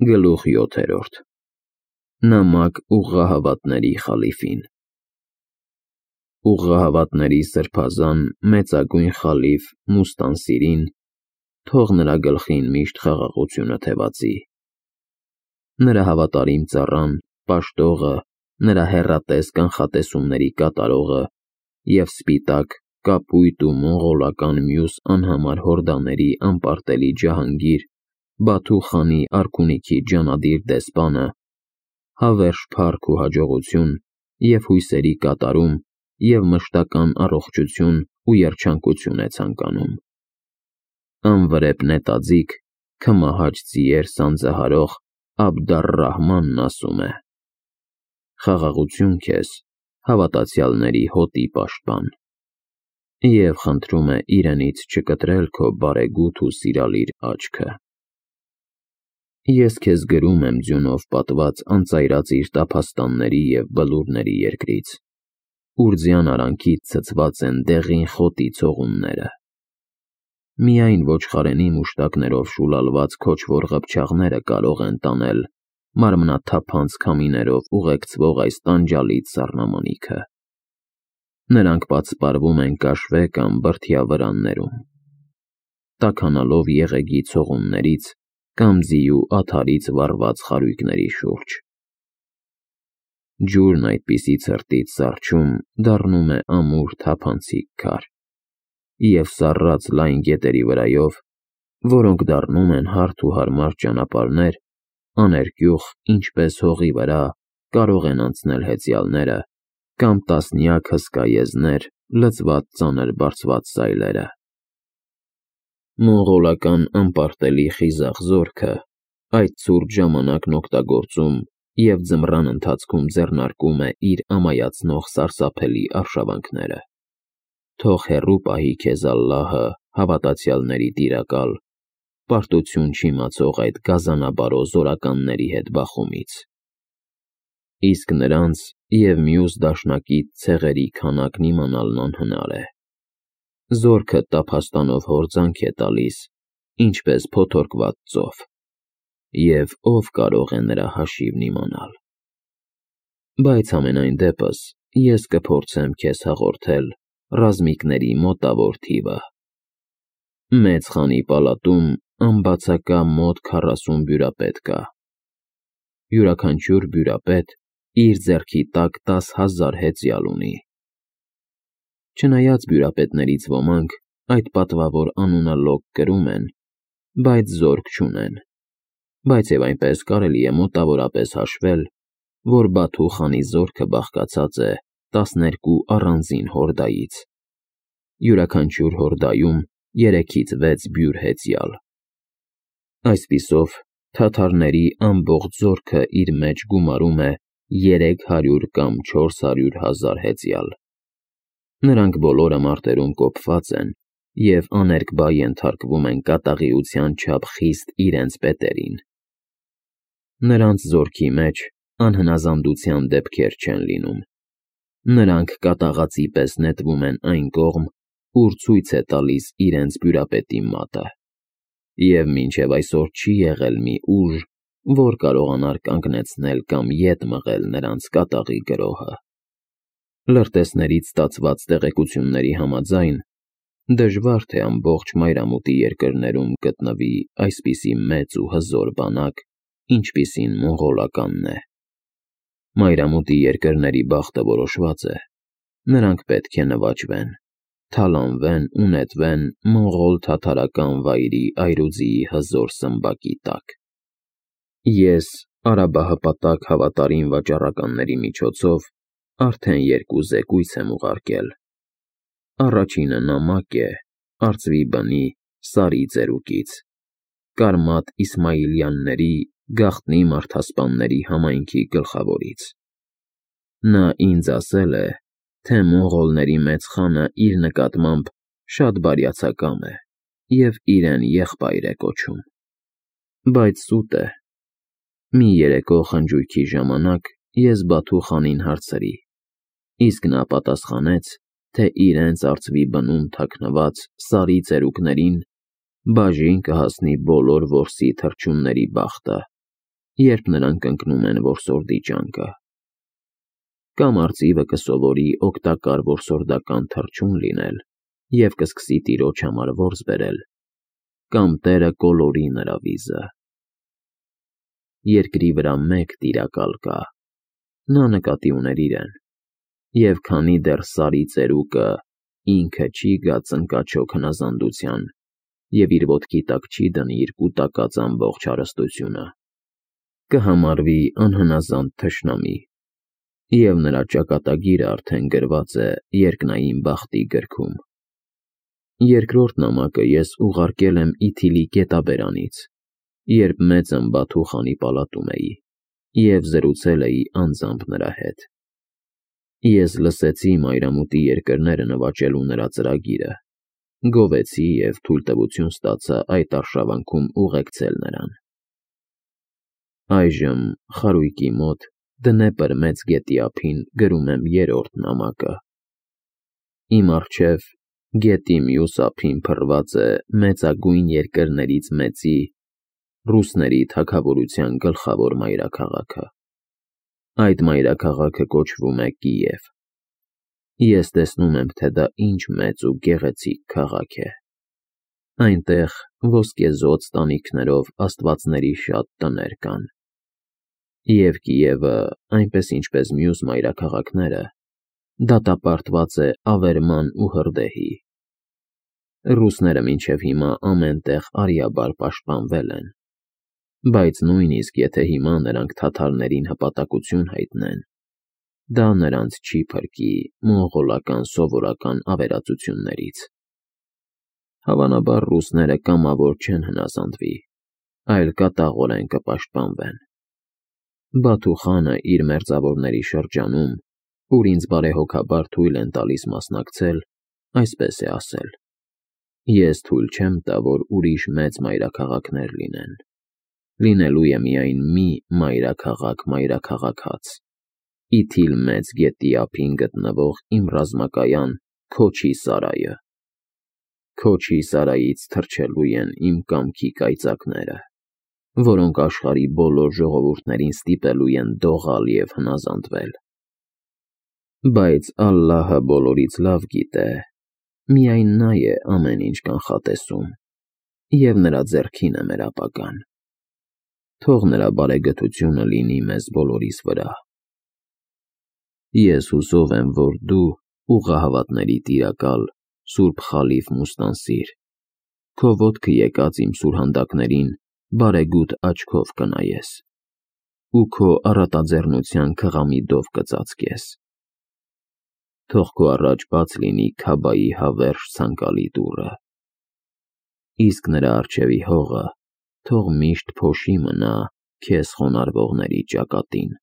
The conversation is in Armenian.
Գլուխ 7. Նամակ ուղղահավատների խալիֆին։ Ուղղահավատների սրբազան մեծագույն խալիֆ Մուստանսիրին, թող նրա գլխին միշտ խաղաղությունը թևածի։ Նրա հավատարիմ ծառան, պաշտողը, նրա հեռատես կանխատեսումների կատարողը և սպիտակ, կապույտ ու մոնղոլական մյուս անհամար հորդաների անպարտելի ջահանգիր Բաթու խանի արքունիքի ջանադիր դեսպանը, հավերժ փառք ու հաջողություն և հույսերի կատարում և մշտական առողջություն ու երջանկություն է ցանկանում։ Անվրեպ նետաձիգ, քմահաճ ձիեր սանձահարող Աբդառ-Ռահմանն ասում է. «Խաղաղություն քեզ, հավատացյալների հոտի պաշտպան», և խնդրում է իրենից չկտրել քո բարեգութ ու սիրալիր աչքը։ Ես քեզ գրում եմ ձյունով պատված անծայրածիր տափաստանների և բլուրների երկրից, ուր ձյան արանքից ցցված են դեղին խոտի ցողունները։ Միայն ոչխարենի մուշտակներով շուլալված քոչվոր ղփչաղները կարող են տանել մարմնաթափանց քամիներով ուղեկցվող այս տանջալից սառնամանիքը։ Նրանք պատսպարվում են կաշվե կամ բրդյա վրաններում, տաքանալով եղեգի ցողուններից կամ ձիու աթարից վառված խարույկների շուրջ։ Ջուրն այդպիսի ցրտից սառչում դառնում է ամուր թափանցիկ քար, և սառած լայն գետերի վրայով, որոնք դառնում են հարթ ու հարմար ճանապարհներ, աներկյուղ, ինչպես հողի վրա, կարող են անցնել հեծյալները կամ տասնյակ հսկա եզներ լցված ծանր բարձված սայլերը։ Մոնղոլական անպարտելի խիզախ զորքը այդ ցուրտ ժամանակն օգտագործում և ձմռան ընթացքում ձեռնարկում է իր ամայացնող սարսափելի արշավանքները։ Թող հեռու պահի քեզ Ալլահը, հավատացյալների տիրակալ, պարտություն չիմացող այդ գազանաբարո զորականների հետ բախումից։ Իսկ նրանց և մյուս դաշնակից ցեղերի քանակն իմանալն անհնար է։ Զորքը տափաստանով հորձանք է տալիս, ինչպես փոթորկված ծով, և ով կարող է նրա հաշիվն իմանալ։ Բայց համենայն դեպս ես կփորձեմ քեզ հաղորդել ռազմիկների մոտավոր թիվը։ Մեծ խանի պալատում անբացակա մոտ 40 բյուրապետ կա։ Յուրաքանչյուր բյուրապետ իր ձեռքի տակ 10,000 հեծյալ ունի։ Չնայած բյուրապետներից ոմանք այդ պատվավոր անունը լոկ կրում են, բայց զորք չունեն, բայց և այնպես կարելի է մոտավորապես հաշվել, որ Բաթու խանի զորքը բաղկացած է 12 առանձին հորդայից, յուրաքանչյուր հորդայում 3-ից 6 բյուր հեծյալ։ Այսպիսով, թաթարների ամբողջ զորքը իր մեջ գումարում է 300 կամ 400,000 հեծյալ։ Նրանք բոլորը մարտերում կոփված են և աներկբա ենթարկվում են կատաղիության չափ խիստ իրենց պետերին։ Նրանց զորքի մեջ անհնազանդության դեպքեր չեն լինում։ Նրանք կատաղածի պես նետվում են այն կողմ, ուր ցույց է տալիս իրենց բյուրապետի մատը, և մինչև այսօր չի եղել մի ուժ, որ կարողանար կանգնեցնել կամ ետ մղել նրանց կատաղի գրոհը։ Լրտեսներից ստացված տեղեկությունների համաձայն, դժվար թե ամբողջ մայրամուտի երկրներում գտնվի այսպիսի մեծ ու հզոր բանակ, ինչպիսին մոնղոլականն է։ Մայրամուտի երկրների բախտը որոշված է։ Նրանք պետք է նվաճվեն, թալանվեն ու նետվեն մոնղոլ-թաթարական վայրի այրուձիի հզոր սմբակի տակ։ Ես արաբահպատակ հավատարիմ վաճառականների միջոցով արդեն 2 զեկույց եմ ուղարկել։ Առաջինը նամակ է արծվի բնի Սարի ծերուկից, Կարմատ Իսմայիլյանների գաղտնի մարդասպանների համայնքի գլխավորից։ Նա ինձ ասել է, թե մոնղոլների մեծ խանը իր նկատմամբ շատ բարյացակամ է և իրեն եղբայր է կոչում։ Բայց սուտ է։ Մի երեկո խնջույքի ժամանակ ես Բաթու խանին հարցրի, իսկ նա պատասխանեց, թե իրենց արծվի բնում թաքնված Սարի ծերուկներին բաժին կհասնի բոլոր որսի թռչունների բախտը երբ նրանք ընկնում են որսորդի ճանկը։ Կամ արծիվը կսովորի օգտակար որսորդական թռչուն լինել և կսկսի տիրոջ համար որս բերել, կամ տերը կոլորի նրա վիզը։ Երկրի վրա մեկ տիրակալ կա, նա նկատի ուներ իրեն, և քանի դեռ Սարի ծերուկը ինքը չի գա ծնկաչոք հնազանդության և իր ոտքի տակ չի դնի իր կուտակած ամբողջ հարստությունը, կհամարվի անհնազանդ թշնամի, և նրա ճակատագիրը արդեն գրված է երկնային բախտի գրքում։ Երկրորդ նամակը ես ուղարկել եմ Իթիլի գետաբերանից, երբ մեծ Բաթու խանի պալատում էի, և զրուցել էի անձամբ նրա հետ։ Ես լսեցի մայրամուտի երկրները նվաճելու նրա ծրագիրը, գովեցի և թույլտվություն ստացա այդ արշավանքում ուղեկցել նրան։ Այժմ խարույկի մոտ Դնեպր մեծ գետի ափին գրում եմ երրորդ նամակը։ Իմ առջև գետի մյուս ափին փռված է մեծագույն երկրներից մեծի՝ ռուսների թագավորության գլխավոր մայրաքաղաքը։ Այդ մայրաքաղաքը կոչվում է Կիև։ Ես տեսնում եմ, թե դա ինչ մեծ ու գեղեցիկ քաղաք է։ Այնտեղ ոսկեզօծ տանիքներով աստվածների շատ տներ կան։ Եվ Կիևը, այնպես ինչպես մյուս մայրաքաղաքները, դատապարտված է ավերման ու հրդեհի։ Ռուսները մինչև հիմա ամեն տեղ արիաբար պաշտպանվել են, բայց նույնիսկ եթե հիմա նրանք թաթարներին հպատակություն հայտնեն, դա նրանց չի փրկի մոնղոլական սովորական ավերածություններից։ Հավանաբար ռուսները կամավոր չեն հնազանդվի, այլ կատաղորեն կպաշտպանվեն։ Բաթու խանը իր մերձավորների շրջանում, ուր ինձ բարեհոգաբար թույլ են տալիս մասնակցել, այսպես է ասել. ես թույլ չեմ տա, որ ուրիշ մեծ մայրաքաղաքներ լինեն։ Լինելու է միայն մի մայրաքաղաք-մայրաքաղաքած՝ Իթիլ մեծ գետի ափին գտնվող իմ ռազմակայան Քոչի սարայը։ Քոչի սարայից թռչելու են իմ կամքի կայծակները, որոնք աշխարհի բոլոր ժողովուրդներին ստիպելու են դողալ և հնազանդվել։ Բայց Ալլահը բոլորից լավ գիտե, միայն նա է ամեն ինչ կանխատեսում, և նրա ձեռքին է մեր ապագան։ Թող նրա բարեգթությունը լինի մեզ բոլորիս վրա։ Ես հուսով եմ, որ դու, ուղղահավատների տիրակալ, Սուրբ Խալիֆ Մուստանսիր, քո ոտքը եկած իմ սուրհանդակներին բարեգութ աչքով կնայես ու քո առատաձեռնության քղամիտով կծածկես։ Թող քո առաջ բաց լինի Քաբայի հավերժ ցանկալի դուռը, իսկ նրա առջևի հողը թող միշտ փոշի մնա քեզ խոնարհվողների ճակատին։